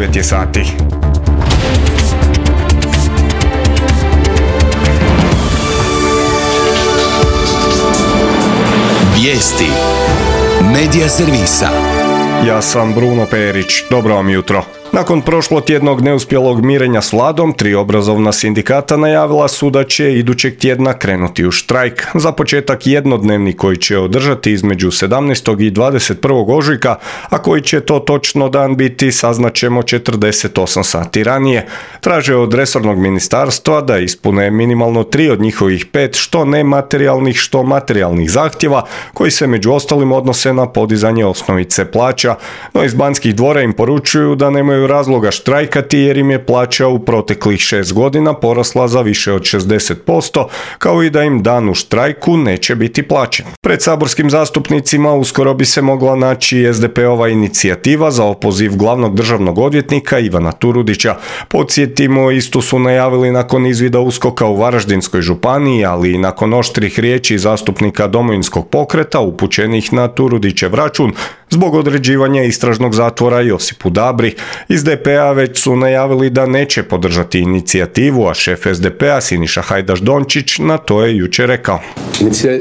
9 je sati. Vijesti Medija servisa. Ja sam Bruno Perić, dobro vam jutro. Nakon prošlotjednog neuspjelog mirenja s vladom, 3 obrazovna sindikata najavila su da će idućeg tjedna krenuti u štrajk. Za početak jednodnevni koji će održati između 17. i 21. ožujka, a koji će to točno dan biti saznaćemo 48 sati ranije. Traže od resornog ministarstva da ispune minimalno 3 od njihovih 5 što nematerijalnih što materijalnih zahtjeva koji se među ostalim odnose na podizanje osnovice plaća, no iz Banskih dvora im poručuju da nemaju razloga štrajkati jer im je plaća u proteklih 6 godina porasla za više od 60%, kao i da im dan u štrajku neće biti plaćen. Pred saborskim zastupnicima uskoro bi se mogla naći SDP-ova inicijativa za opoziv glavnog državnog odvjetnika Ivana Turudića. Podsjetimo, istu su najavili nakon izvida USKOK-a u Varaždinskoj županiji, ali i nakon oštrih riječi zastupnika Domovinskog pokreta upućenih na Turudićev račun zbog određivanja istražnog zatvora Josipu Dabri. Iz DP-a već su najavili da neće podržati inicijativu, a šef SDP-a Siniša Hajdaš Dončić na to je jučer rekao.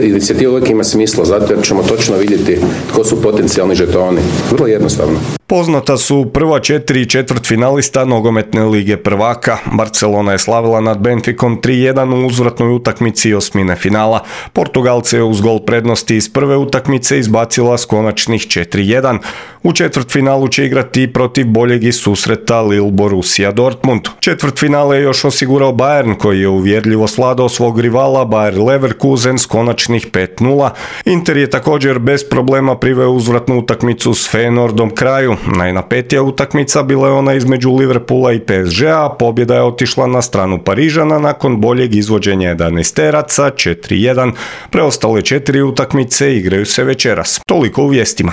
Inicijativa uvijek ima smisla, zato jer ćemo točno vidjeti tko su potencijalni žetoni. Vrlo jednostavno. Poznata su prva 4 četvrtfinalista nogometne lige prvaka. Barcelona je slavila nad Benficom 3-1 u uzvratnoj utakmici osmine finala. Portugalce je uz gol prednosti iz prve utakmice izbacila s konačnih 4-1. U četvrtfinalu će igrati protiv boljeg iz susreta Lille Borussia Dortmund. Četvrtfinale je još osigurao Bayern koji je uvjerljivo svladao svog rivala Bayer Leverkusen s konačnih 5-0. Inter je također bez problema priveo uzvratnu utakmicu s Feyenoordom kraju. Najnapetija utakmica bila je ona između Liverpoola i PSG-a, a pobjeda je otišla na stranu Parižana nakon boljeg izvođenja 11-teraca 4-1. Preostale 4 utakmice igraju se večeras. Toliko u vijestima.